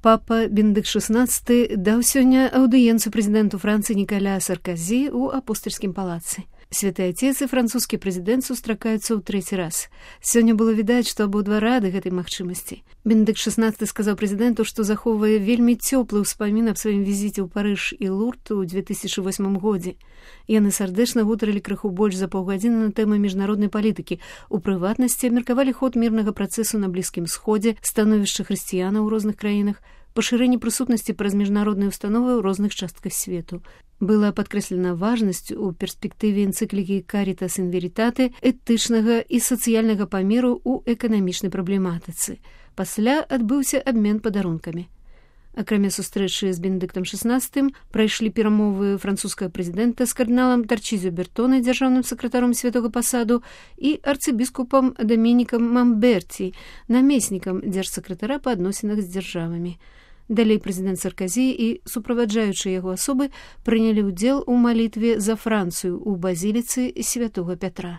Папа Бенедыкт XVI даў сёння аўдыенцыю прэзідэнту Францыі Нікаля Сарказі ў апостальскім палацы. Святы Отец і французскі прэзідэнт сустракаюцца ў трэці раз. Сёння было відаць, што абодва рады гэтай магчымасці. Бенедыкт XVI сказаў прэзідэнту, што захоўвае вельмі цёплы ўспамін аб сваім візіце ў Парыж і Лурд у 2008 годзе. Яны сардэчна гутарылі крыху больш за паўгадзіны на тэмы міжнароднай палітыкі. У прыватнасці абмеркавалі ход мірнага працэсу на Блізкім Сходзе, становішча хрысціянаў у розных краінах, пашырэнне прысутнасці праз міжнародныя ўстановы ў розных частках свету. Была падкрэслена важнасць у перспектыве энцыклікі «Caritas in Veritate» этычнага і сацыяльнага памеру ў эканамічнай праблематыцы. Пасля адбыўся абмен падарункамі. Акрамя сустрэчы з Бенедыктам XVI прайшлі перамовы французскага прэзідэнта з кардыналам Тарчізіо Бертоне, дзяржаўным сакратаром святога пасаду, і арцыбіскупам Дамінікам Мамберці, намеснікам дзяржсакратара па адносінах з дзяржавамі. Далей прэзідэнт Сарказі і суправаджаючыя яго асобы прынялі ўдзел у малітве за Францыю ў базіліцы святога Пятра.